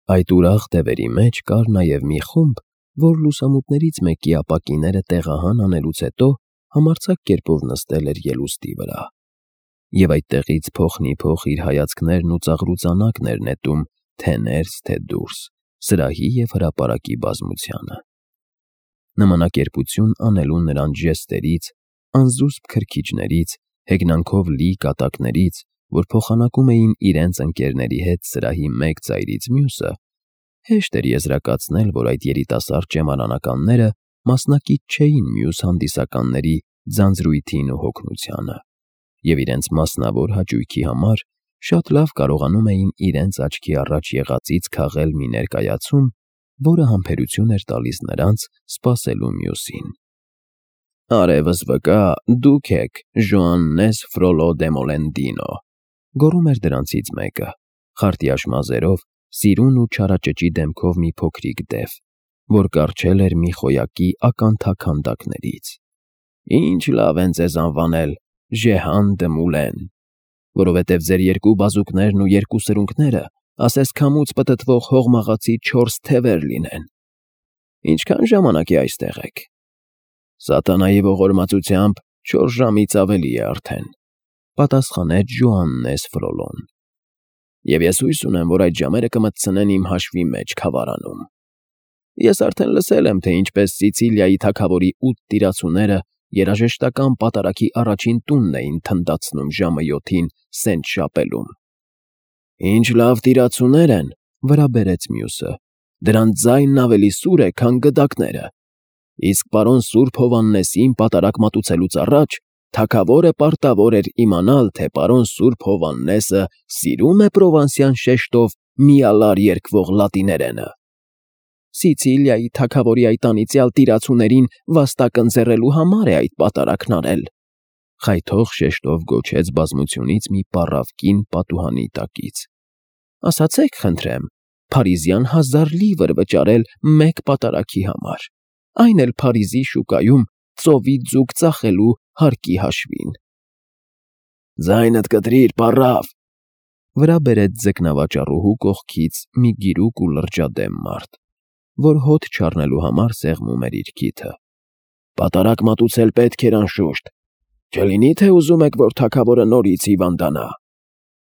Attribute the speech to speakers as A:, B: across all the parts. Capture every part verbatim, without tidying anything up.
A: Այդ ուրախ դևերի մեջ կար նաև մի խումբ, որ լուսամուտներից մեկի ապակիները տեղահան անելուց հետո համարձակ կերպով նստել էր ելուստի վրա, և այդտեղից փոխնիփոխ իր հայացքներն ու ծաղրուծանակն էր նետում թե՛ ներս, թե՛ դուրս, սրահի և հրապարակի բազմությանը։ Նմանակերպություն անելու նրանց ժեստերից, անզուսպ քրքիջներից, հեգնանքով լի կատակներից, որ փոխանակում էին իրենց ընկերների հետ սրահի մեկ ծայրից մյուսը, հեշտ էր եզրակացնել, որ այդ երիտասարդ ճեմարանականները մասնակից չէին մյուս հանդիսականների ձանձրույթին ու հոգնությանը, և իրենց մասնավոր հաճույքի համար շատ լավ կարողանում էին իրենց աչքի առաջ եղածից քաղել մի ներկայացում, որը համբերություն էր տալիս նրանց սպասելու մյուսին։ «Արևս վկա, դուք եք Ժոաննես Ֆրոլո դե Մոլենդինո», գոռում էր դրանցից մեկը, խարտյաշ մազերով, սիրուն ու չարաճճի դեմքով մի փոքրիկ դև, որ կառչել էր մի խոյակի ականթակ քանդակներից։ «Ինչ լավ են ձեզ անվանել Ժեհան դը Մուլեն, որովհետև ձեր երկու բազուկներն ու երկու սրունքները ասես քամուց պտտվող հողմաղացի չորս թևեր լինեն։ Ինչքա՞ն ժամանակ է այստեղ եք»։ «Սատանայի ողորմածությամբ չորս ժամից ավելի է արդեն», պատասխանեց Ժոաննես Ֆրոլոն։ «Եվ ես հույս ունեմ, որ այդ ժամերը կմտցնեն իմ հաշվի մեջ քավարանում։ Ես արդեն լսել եմ, թե ինչպես Սիցիլիայի թագավորի ութ տիրացուները երաժշտական պատարագի առաջին տունն էին թնդացնում ժամը յոթին սենթ շապելում»։ «Ինչ լավ տիրացուներ են», վրա բերեց մյուսը, «դրանց ձայնն ավելի սուր է, քան գդակները։ Իսկ պարոն սուրբ Հովհաննեսին պատարագ մատուցելուց առաջ թագավորը պարտավոր էր իմանալ, թե պարոն սուրբ Հովհաննեսը սիրո՞ւմ է պրովանսյան շեշտով միալար երգվող լատիներենը։ Սիցիլիայի թագավորի այդ անիծյալ տիրացուներին վաստակ ընձեռելու համար է այդ պատարագն արել», խայթող շեշտով գոչեց բազմությունից մի պառավ կին պատուհանի տակից։ «Ասացեք, խնդրեմ, Փարիզյան հազար լիվր վճարել մեկ պատարագի համար, այն էլ Փարիզի շուկայում ծովի ձուկ ծախելու հարկի հաշվին»։ «Ձայնդ կտրիր, պառավ», վրա բերեց ձկնավաճառուհու կողքից մի գիրուկ ու լրջադեմ մարդ, որ հոտ չառնելու համար սեղմում էր իր քիթը։ «Պատարագ մատուցել պետք էր անշուշտ, չլինի՞ թե ուզում եք, որ թագավորը նորից հիվանդանա»։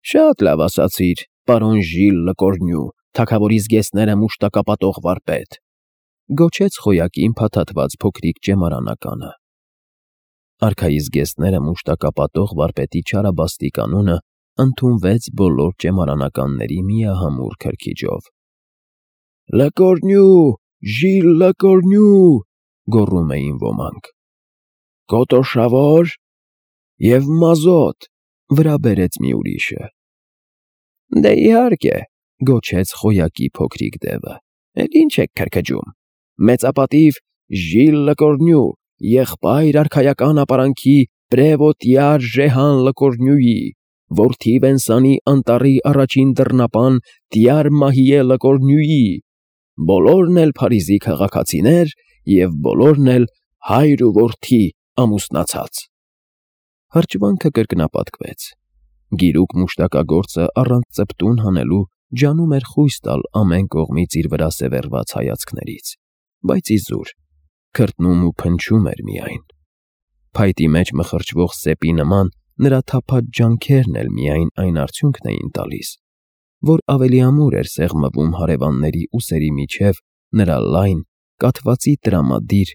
A: «Շատ լավ ասացիր, պարոն Ժիլ Լկորնյու, թագավորի զգեստները մուշտակապատող վարպետ», գոչեց խոյակին փաթաթված փոքրիկ ճեմարանականը։ Արքայի զգեստները մուշտակապատող վարպետի չարաբաստիկ անունը ընդունվեց բոլոր ճեմարանականների միահամուռ քրքիջով։ «Լկորնյու, Ժիլ Լկորնյու», գոռում էին ոմանք։ «Կոտոշավո՞ր և մազոտ», վրա բերեց մի ուրիշը։ «Դե իհարկե», գոչեց խոյակի փոքրիկ դևը, «էլ ինչ եք քրքջում։ Մեծապատիվ Ժիլ Լկորնյու, եղբայր արքայական ապարանքի պրևոտյար Ժեհան Լկորնյուի, որդի Վենսանի անտառի առաջին դռնապան տյար Մահիե Լկորնյուի, բոլորն էլ Փարիզի քաղաքացիներ և բոլորն էլ հայր ու որդի ամուսնացած»։ Հրճվանքը կրկնապատկվեց։ Գիրուկ մուշտակագործը առանց ծպտուն հանելու ջանում էր խույս տալ ամեն կողմից իր վրա սևեռված հայացքներից, բայց իզուր, քրտնում ու փնչում էր միայն։ Փայտի մեջ մխրճվող սեպի նման նրա թափած ջանքերն էլ միայն այն արդյունքն էին տալիս, որ ավելի ամուր էր սեղմվում հարևանների ուսերի միջև նրա լայն, կաթվածի տրամադիր,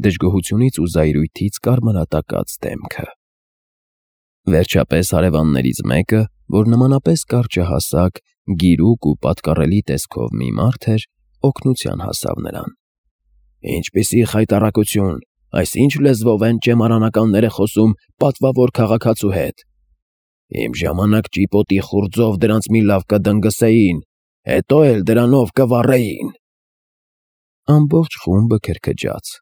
A: դժգոհությունից ու զայրույթից կարմրատակած դեմքը։ Վերջապես հարևաններից մեկը, որ նմանապես կարճահասակ, գիրուկ ու պատկառելի տեսքով մի մարդ էր, օգնության հասավ նրան։ «Ինչպիսի խայտառակություն, այս ինչ լեզվով են ճեմարանականները խոսում պատվավոր քաղաքացու հետ։ Իմ ժամանակ ճիպոտի խուრძով դրանց մի լավ կդնգսեին, հետո էլ դրանով կվառեին»։ Ամբողջ խումբը քրքջաց։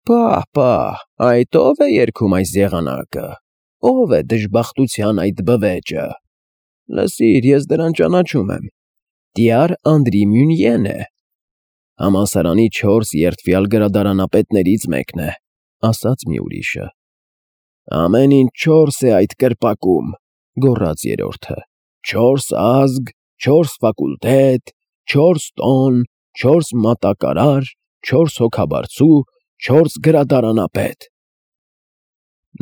A: «Պահ, պահ, այդ ո՞վ է երգում այս եղանակը, ո՞վ է դժբախտության այդ բվեճը։ Լսիր, ես դրան ճանաչում եմ, տյար Անդրի Մյունյեն է, համալսարանի չորս երդվյալ գրադարանապետներից մեկն է», ասաց մի ուրիշը։ «Ամեն ինչ չորս է այդ կրպակում», գոռաց երրորդը, «չորս ազգ, չորս ֆակուլտետ, չորս տոն, չորս մատակարար, չորս հոգաբարձու, չորս գրադարանապետ։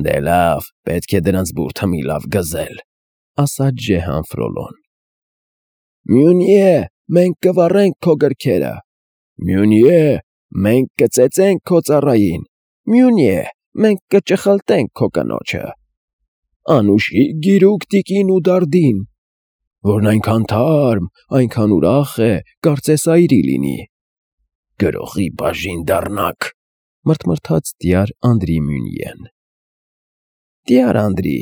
A: Դե լավ, պետք է դրանց բուրդը մի լավ գզել, ասաց Ժեհան Ֆրոլոն։ Մյունիե, մենք կվառենք քո գրքերը։ Մյունիե, մենք կծեծենք քո ծառային։ Մյունիե, մենք կճխլտենք քո կնոջը։ Անուշի գիրուկ տիկին ու դարդին, որն այնքան թարմ, այնքան ուրախ է, կարծես այրի լինի։ Գրողի բաժին դառնաք, մրթմրթաց տյար Անդրի Մյունիեն։ Տյար Անդրի,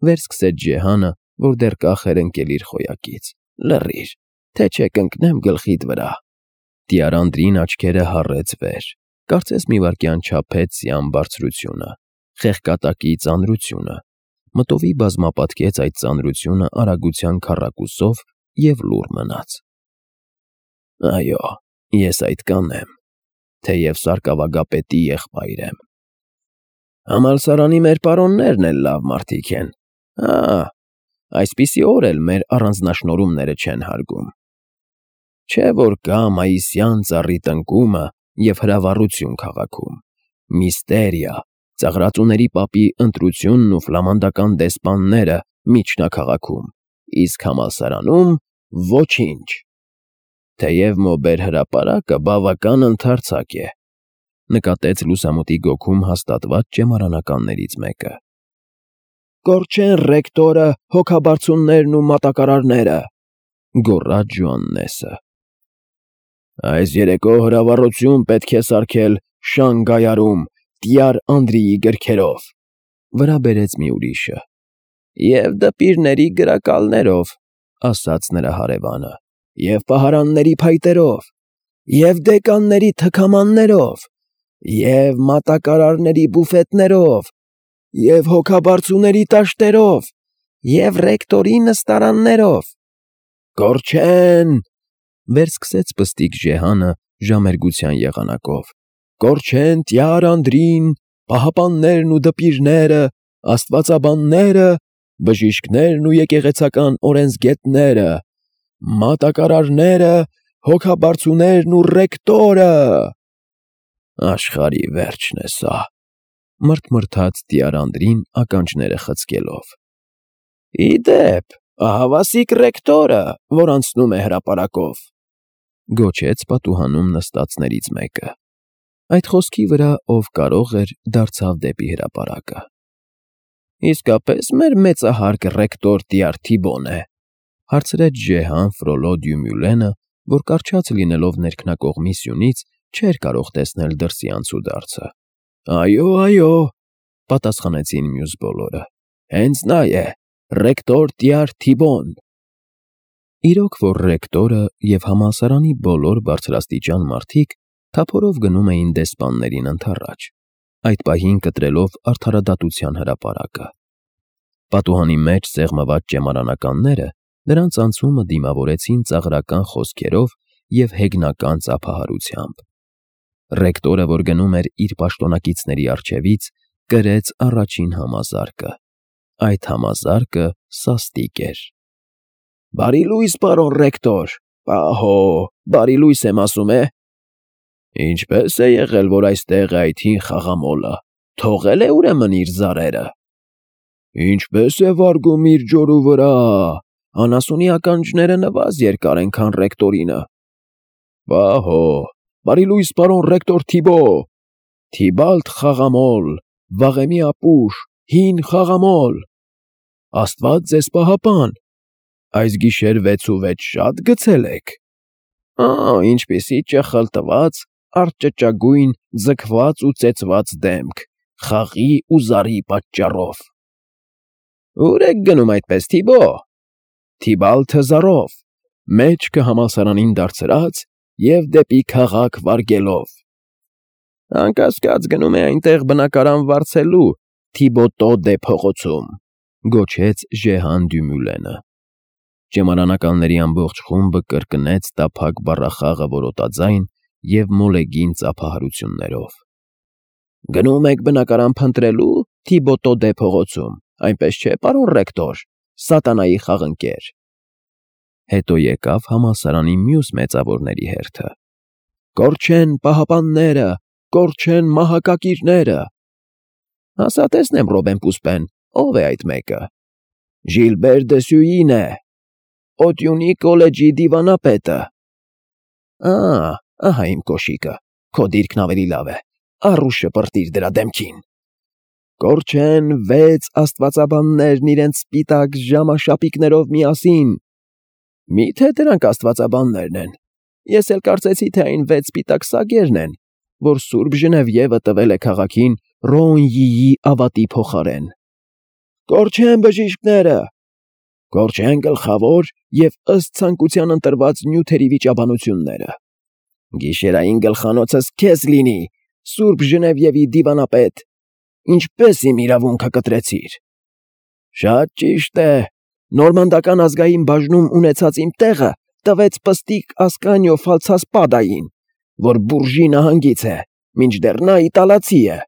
A: վերսկսեց Ժեհանը, որ դեռ կախ էր ընկել իր խոյակից, լռիր, թե չէ կընկնեմ գլխիդ վրա։ Տյար Անդրին աչքերը հառեց վեր, կարծես մի վայրկյան չափեց սյան բարձրությունը, խեղկատակի ծանրությունը, մտովի բազմապատկեց այդ ծանրությունը արագության քառակուսով և լուռ մնաց։ Այո, ես այդ կանեմ, թեև սարկավագապետի եղբայր եմ։ Համալսարանի մեր պարոններն էլ լավ մարդիկ են, հա, այսպիսի օր էլ մեր առանձնաշնորհումները չեն հարգում։ Չէ՞ որ կա մայիսյան ծառի տնկումը և հրավառություն քաղաքում, միստերիա, ծաղրածուների պապի ընտրությունն ու ֆլամանդական դեսպանները միջնաքաղաքում, իսկ համալսարանում ոչինչ։ Թեև մոբեր հրապարակը բավական ընդարձակ է, նկատեց լուսամուտի գոգում հաստատված ճեմարանականներից մեկը։ Կորչեն ռեկտորը, հոգաբարձուններն ու մատակարարները, գոռաց Ժոաննեսը։ Այս երեկո հրավառություն պետք է սարքել Շանգայարում տյար Անդրիի գրքերով, վրա բերեց մի ուրիշը։ Եվ դպիրների գրակալներով, ասաց նրա հարևանը, և պահարանների փայտերով, և դեկանների թքամաններով, և մատակարարների բուֆետներով, և հոգաբարձուների տաշտերով, և ռեկտորի նստարաններով։ Կորչեն, վերսկսեց պստիկ Ժեհանը ժամերգության եղանակով, կորչեն տյար Անդրին, պահապաններն ու դպիրները, աստվածաբանները, բժիշկներն ու եկեղեցական օրենսգետները, մատակարարները, հոգաբարձուներն ու ռեկտորը։ Աշխարհի վերջն է սա, մրթմրթաց տյար Անդրին ականջները խցկելով։ Ի դեպ, ահավասիկ ռեկտորը, որ անցնում է հրապարակով, գոչեց պատուհանում նստածներից մեկը։ Այդ խոսքի վրա ով կարող էր դարձավ դեպի հրապարակը։ Իսկապես մեր մեծահարկ ռեկտոր տյար Թիբոն է, հարցրեց Ժեհան Ֆրոլո Դյումյուլենը, որ կառչած լինելով ներքնակողմի սյունից չէր կարող տեսնել դրսի անցուդարձը։ Այո, այո, պատասխանեցին մյուս բոլորը, հենց նա է, ռեկտոր տյար Թիբոն։ Իրոք որ ռեկտորը և համալսարանի բոլոր բարձրաստիճան մարդիկ թափորով գնում էին դեսպաններին ընդառաջ, այդ պահին կտրելով արդարադատության հրապարակը։ Պատուհանի մեջ սեղմված ճեմարանականները նրանց անցումը դիմավորեցին ծաղրական խոսքերով և հեգնական ծափահարությամբ։ Ռեկտորը, որ գնում էր իր պաշտոնակիցների առջևից, կրեց առաջին համազարկը։ Այդ համազարկը սաստիկ էր։ Բարի լույս, պարոն ռեկտոր, պահո, բարի լույս եմ ասում է։ Ինչպե՞ս է եղել, որ այստեղ է այդ հին խաղամոլը, թողել է ուրեմն իր զարերը։ Ինչպե՞ս է վարգում իր ջորու վրա, անասունի ականջները նվազ երկար են, քան ռեկտորինը։ Պահո, բարի լույս, պարոն ռեկտոր Թիբո, Թիբալդ խաղամոլ, վաղեմի ապուշ, հին խաղամոլ։ Աստված ձեզ պահապան, այս գիշեր վեցուվեց շա՞տ գցել եք։ Ա, ինչպիսի ճխլտված, արճճագույն, ձգված ու ծեծված դեմք, խաղի ու զարի պատճառով։ Ո՞ւր եք գնում այդպես, Թիբո։ Թիբալդը զարով, մեջքը համալսարանին դարձրած և դեպի քաղաք վարգելով։ Անկասկած գնում է այնտեղ բնակարան վարձելու Թիբոտո դե փողոցում, գոչեց Ժեհան Դյումյուլենը։ Ճեմարանականների ամբողջ խումբը կրկնեց տափակ բառախաղը որոտաձայն և մոլեգին ծափահարություններով։ Գնում եք բնակարան փնտրելու Թիբոտո դե փողոցում, այնպես չէ, պարոն ռեկտոր, սատանայի խաղընկեր։ Հետո եկավ համալսարանի մյուս մեծավորների հերթը. «Կորչեն պահապանները, կորչեն մահակակիրները»։ Ասա տեսնեմ, Ռոբեն Պուսպեն, ով է այդ մեկը։ Ժիլբեր դը Սյուին է, Օտյունի կոլեջի դիվանապետը։ Ա, ահա իմ կոշիկը, քո դիրքն ավելի լավ է, առու շպրտիր դրա դեմքին։ Կորչեն վեց աստվածաբաններն իրենց սպիտակ ժամաշապիկներով միասին։ Մի՞թե դրանք աստվածաբաններն են։ Ես էլ կարծեցի, թե այն վեց սպիտակ սագերն են, որ Սուրբ Ժնևիևը տվել է քաղաքին Ռոունյիի ավատի փոխարեն։ Կորչեն բժիշկները, կորչեն գլխավոր և ըստ ցանկության ընտրված նյութերի վիճաբանությունները։ Գիշերային գլխանոցս քեզ լինի, Սուրբ Ժնևիևի դիվանապետ, ինչպես իմ իրավունքը կտրեցիր։ Շատ ճիշտ է, նորմանդական ազգային բաժնում ունեցած իմ տեղը տվեց պստիկ Ասկանիո Ֆալցասպադային, որ Բուրժի նահանգից է, մինչդեռ նա իտալացի է։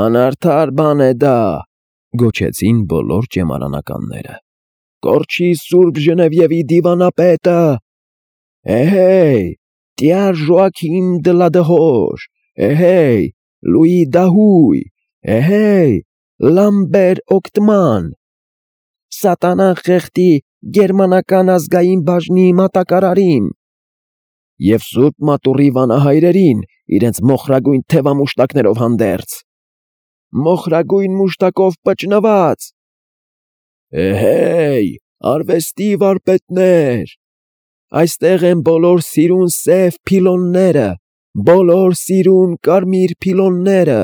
A: Անարդար բան է դա, գոչեցին բոլոր ճեմարանականները։ Կորչի Սուրբ Ժնևիևի դիվանապետը։ Էհեյ, Տյար Ժոակիմ դը Լադհոր, էհեյ, Լուի Դահույ, էհեյ, Լամբեր Օկտման, Սատանան խեղդի գերմանական ազգային բաժնի մատակարարին և Սուրբ Մատուռի վանահայրերին իրենց մոխրագույն թևամուշտակներով հանդերձ, մոխրագույն մուշտակով պճնված։ Էհեյ, արվեստի վարպետներ, այստեղ են բոլոր սիրուն սև փիլոնները, բոլոր սիրուն կարմիր փիլոնները։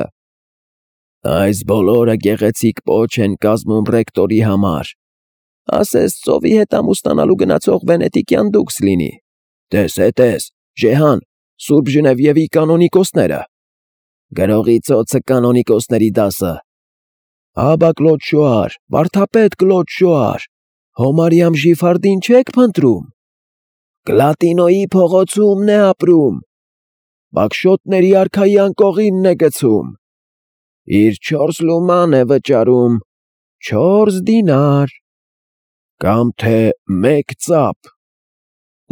A: Այս բոլորը գեղեցիկ պոչ են կազմում ռեկտորի համար, ասես ծովի հետ ամուսնանալու գնացող վենետիկյան դուքս լինի։ Տես է, տես, Ժեհան, Սուրբ Ժնևիևի կանոնիկոսները։ Գրողի ծոցը կանոնիկոսների դասը։ Աբա Կլոդ Շոար, վարդապետ Կլոդ Շոար, Հոմարիամ Ժիֆարդին չեք փնտրում։ Գլատինոյի փողոցումն է ապրում, Բակշոտների արքայի անկողինն է գցում, իր չորս լուման է վճարում, չորս դինար, կամ թե մեկ ծափ։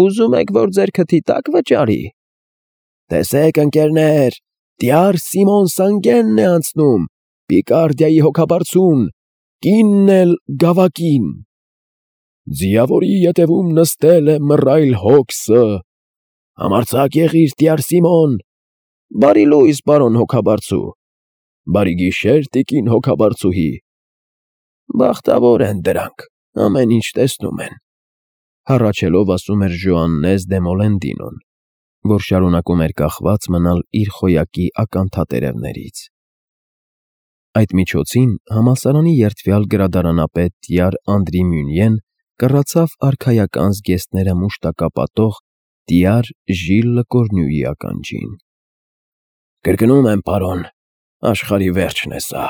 A: Ուզում եք, որ ձեր քթի տակ վճարի։ Տեսեք, ընկերներ, Տյար Սիմոն Սանգենն է անցնում, Պիկարդիայի հոգաբարձուն, կինն էլ գավակին։ Ձիավորի ետևում նստել է մռայլ հոգսը։ Համարձակ եղիր, Տյար Սիմոն։ Բարի լույս, պարոն հոգաբարձու։ Բարի գիշեր, տիկին հոգաբարձուհի։ Բախտավոր են դրանք, ամեն ինչ տեսնում են, հառաչելով ասում էր Ժոաննես դե Մոլենդինոն, որ շարունակում էր կախված մնալ իր խոյակի ականթատերևներից։ Այդ միջոցին համալսարանի երդվյալ գրադարանապետ Տյար Անդրի Մյունյեն կռացավ արքայական զգեստները մուշտակապատող Տյար Ժիլ Լկորնյուի ականջին։ Կրկնում եմ, պարոն, աշխարհի վերջն է սա։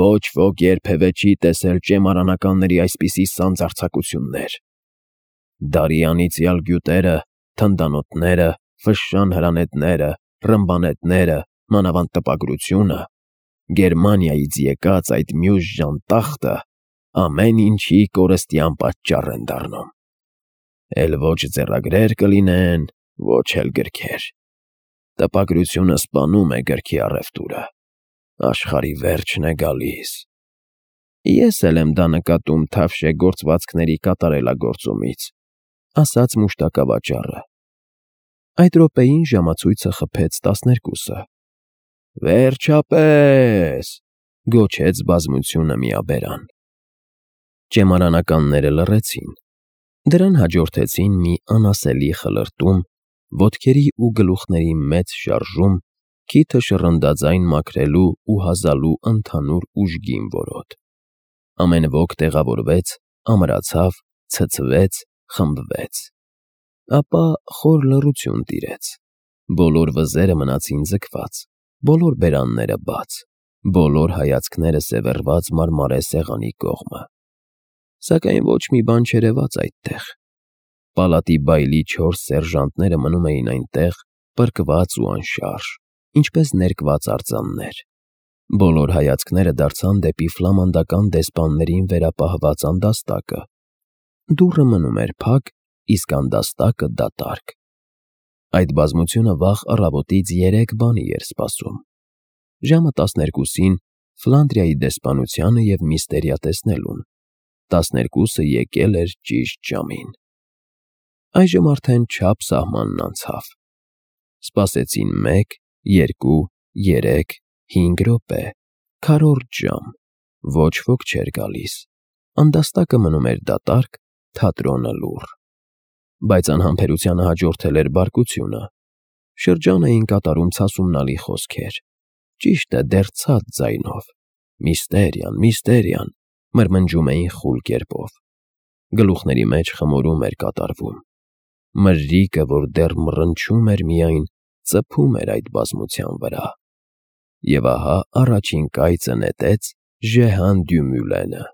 A: Ոչ ոք երբևէ չի տեսել ճեմարանականների այսպիսի սանձարձակություններ։ Դարի անիծյալ գյուտերը, թնդանոթները, ֆշշան հրանետները, ռմբանետները, մանավանդ տպագրությունը, Գերմանիայից եկած այդ մյուս ժանտախտը ամեն ինչի կորստյան պատճառ են դառնում։ Էլ ոչ ձեռագրեր կլինեն, ոչ էլ գրքեր։ Տպագրությունը սպանում է գրքի առևտուրը։ Աշխարհի վերջն է գալիս։ Ես էլ եմ դա նկատում թավշե գործվածքների կատարելագործումից, ասաց մուշտակավաճառը։ Այդ րոպեին ժամացույցը խփեց տասներկուսը։ Վերջապես, գոչեց բազմությունը միաբերան։ Ճեմարանականները լռեցին։ Դրան հաջորդեցին մի անասելի խլրտում, ոտքերի ու գլուխների մեծ շարժում, քիթը շռնդաձայն մաքրելու ու հազալու ընդհանուր ուժգին որոտ։ Ամեն ոք տեղավորվեց, ամրացավ, ցցվեց, խմբվեց։ Ապա խոր լռություն տիրեց։ Բոլոր վզերը մնացին ձգված, բոլոր բերանները բաց, բոլոր հայացքները սևեռված մարմարե սեղանի կողմը։ Սակայն ոչ մի բան չերևաց այդտեղ։ Պալատի բայլի չորս սերժանտները մնում էին այնտեղ, պրկված ու անշարժ, ինչպես ներկված արձաններ։ Բոլոր հայացքները դարձան դեպի ֆլամանդական դեսպաններին վերապահված անդաստակը։ դուռը մնում էր փակ, իսկ անդաստակը դատարկ։ Այդ բազմությունը վաղ առավոտից երեք բանի էր սպասում. ժամը տասներկուսին Ֆլանդրիայի դեսպանությանը և միստերիա տեսնելուն, տասներկուսը եկել էր ճիշտ ժամին։ Այժմ արդեն չափ սահմանն անցավ։ Սպասեցին մեկ, երկու, երեք, հինգ րոպե, քառորդ ժամ, ոչ ոք չէր գալիս, անդաստակը մնում էր դատարկ, թատրոնը լուռ։ Բայց անհամբերությանը հաջորդել էր բարկությունը։ Շրջան էին կատարում ցասումնալի խոսքեր, ճիշտ է, դեռ ցած ձայնով. «Միստերիան, միստերիան», մրմնջում էին խուլ կերպով։ Գլուխների մեջ խմորում էր կատարվում։ Մրրիկը, որ դեռ մռնչում էր միայն, ծփում էր այդ բազմության վրա։ Եվ ահա առաջին կայծը նետեց Ժեհան դյու Մյուլենը։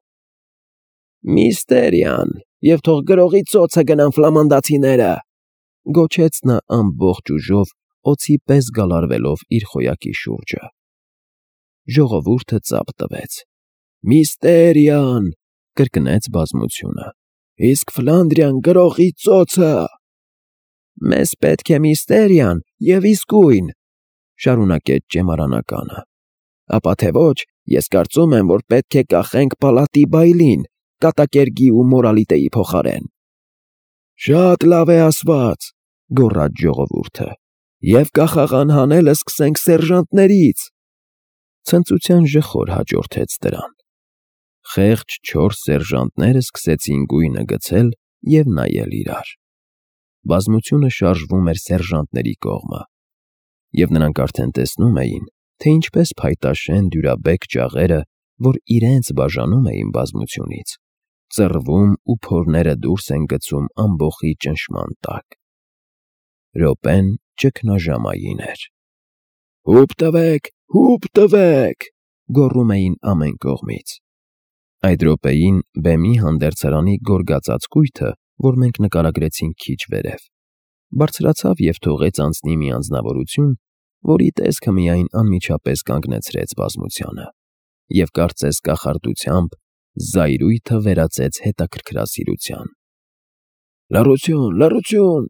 A: «Միստերիան, և թող գրողի ծոցը գնան ֆլամանդացիները», գոչեց նա ամբողջ ուժով, օձի պես գալարվելով իր խոյակի շուրջը։ Ժողովուրդը ծափ տվեց։ «Միստերիան», կրկնեց բազմությունը, «իսկ Ֆլանդրիան գրողի ծոցը»։ «Մեզ պետք է միստերիան և իսկույն», շարունակեց ճեմարանականը։ «Ապա թե ոչ, ես կարծում եմ, որ պետք է կախենք պալատի բայլին, կատակերգի ու մորալիտեի փոխարեն»։ «Շատ լավ է ասված», գոռաց ժողովուրդը, «և կախաղան հանելը սկսենք սերժանտներից»։ Ցնծության ժխոր հաջորդեց դրան։ Խեղճ չորս սերժանտները սկսեցին գույնը գցել և նայել իրար։ Բազմությունը շարժվում էր սերժանտների կողմը, և նրանք արդեն տեսնում էին, թե ինչպես փայտաշեն դյուրաբեկ ճաղերը, որ իրենց բաժանում էին բազմությունից, ծռվում ու փորները դուրս են գցում ամբոխի ճնշման տակ։ Րոպեն ճգնաժամային էր։ «Հուպ տվեք, հուպ տվեք», գոռում էին ամեն կողմից։ Այդ րոպեին բեմի հանդերձարանի գորգածածկույթը, որ մենք նկարագրեցինք քիչ վերև, բարձրացավ և թողեց անցնի մի անձնավորություն, որի տեսքը միայն անմիջապես կանգնեցրեց բազմությանը, և կարծես կախարդությամբ զայրույթը վերածեց հետաքրքրասիրության։ «Լռություն, լռություն»։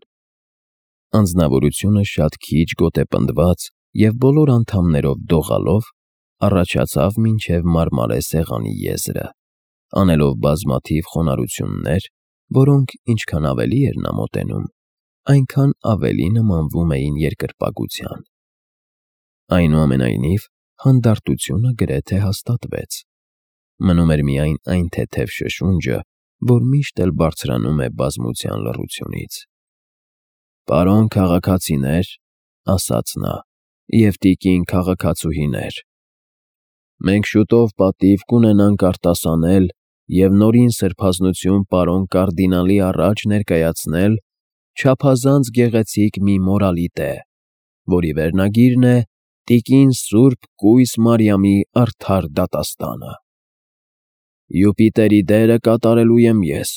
A: Անձնավորությունը շատ քիչ գոտեպնդված և բոլոր անդամներով դողալով առաջացավ մինչև մարմարե սեղանի եզրը, անելով բազմաթիվ խոնարհություններ, որոնք ինչքան ավելի էր նա մոտենում, այնքան ավելի նմանվում էին երկրպագության։ Այնուամենայնիվ, հանդարտությունը գրեթե հաստատվեց։ Մնում էր միայն այն թեթև շշունջը, որ միշտ էլ բարձրանում է բազմության լռությունից։ «Պարոն քաղաքացիներ», ասաց նա, «և տիկին քաղաքացուհիներ, մենք շուտով պատիվ կունենանք արտասանել և նորին սրբազնություն պարոն կարդինալի առաջ ներկայացնել չափազանց գեղեցիկ մի մորալիտե, որի վերնագիրն է «Տիկին Սուրբ Կույս Մարիամի արդար դատաստանը»։ Յուպիտերի դերը կատարելու եմ ես։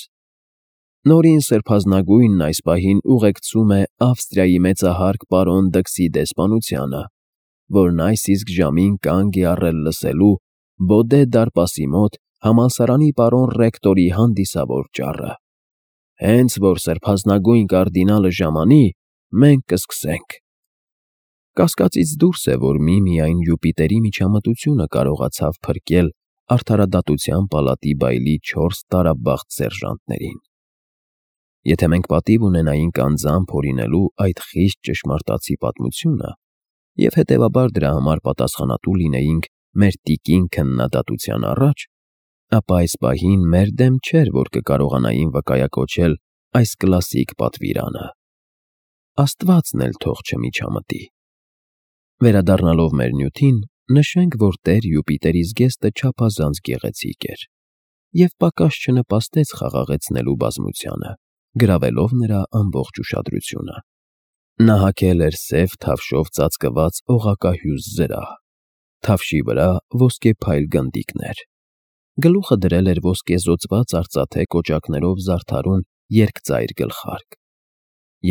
A: Նորին սրբազնագույնն այս պահին ուղեկցում է Ավստրիայի մեծահարկ պարոն Դքսի դեսպանությանը, որն այս իսկ ժամին կանգ է առել լսելու Բոդե դարպասի մոտ համալսարանի պարոն ռեկտորի հանդիսավոր ճառը։ Հենց որ սրբազնագույն կարդինալը ժամանի, մենք կսկսենք։ Կասկածից դուրս է, որ միմիայն Յուպիտերի միջամտությունը կարողացավ փրկել արդարադատության պալատի բայլի չորս տարաբախտ սերժանտներին։ Եթե մենք պատիվ ունենայինք անձամբ հորինելու այդ խիստ ճշմարտացի պատմությունը և հետևաբար դրա համար պատասխանատու լինեինք մեր տիկին քննադատության առաջ, ապա այս պահին մեր դեմ չէր, որ կկարողանային վկայակոչել այս կլասիկ պատվիրանը։ Աստվածն էլ թող չմիջամտի։ Վերադառնալով մեր նյութին, նշենք, որ Տեր Յուպիտերի զգեստը չափազանց գեղեցիկ էր և պակաս չնպաստեց խաղաղեցնելու բազմությանը, գրավելով նրա ամբողջ ուշադրությունը։ Նա հագել էր սև թավշով ծածկված օղակահյուս զրահ, թավշի վրա ոսկեփայլ գնդիկներ, գլուխը դրել էր ոսկեզօծված արծաթե կոճակներով զարդարուն երկծայր գլխարկ,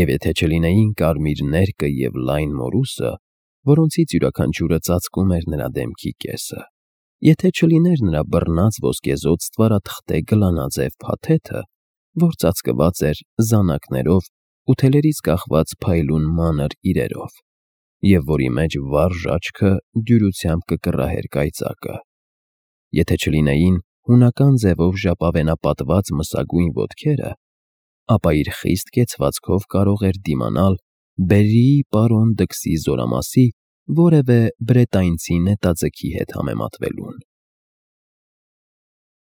A: և եթե չլինեին կարմիր ներկը և լայն մորուսը, որոնցից յուրաքանչյուրը ծածկում էր նրա դեմքի կեսը, եթե չլիներ նրա բռնած ոսկեզօծ ստվարաթղթե գլանաձև փաթեթը, որ ծածկված էր զանակներով ու թելերից կախված փայլուն մանր իրերով, և որի մեջ վառ ժաճքը դյուրությամբ կկռահեր կայծակը։ Եթե չլինեին հունական ձևով ժապավենապատված մսագույն ոտքերը, ապա իր խիստ կեցվածքով կարող էր դիմանալ Բերրիի պարոն Դքսի զորամասի որևէ բրետանցի նետաձիգի հետ համեմատվելուն։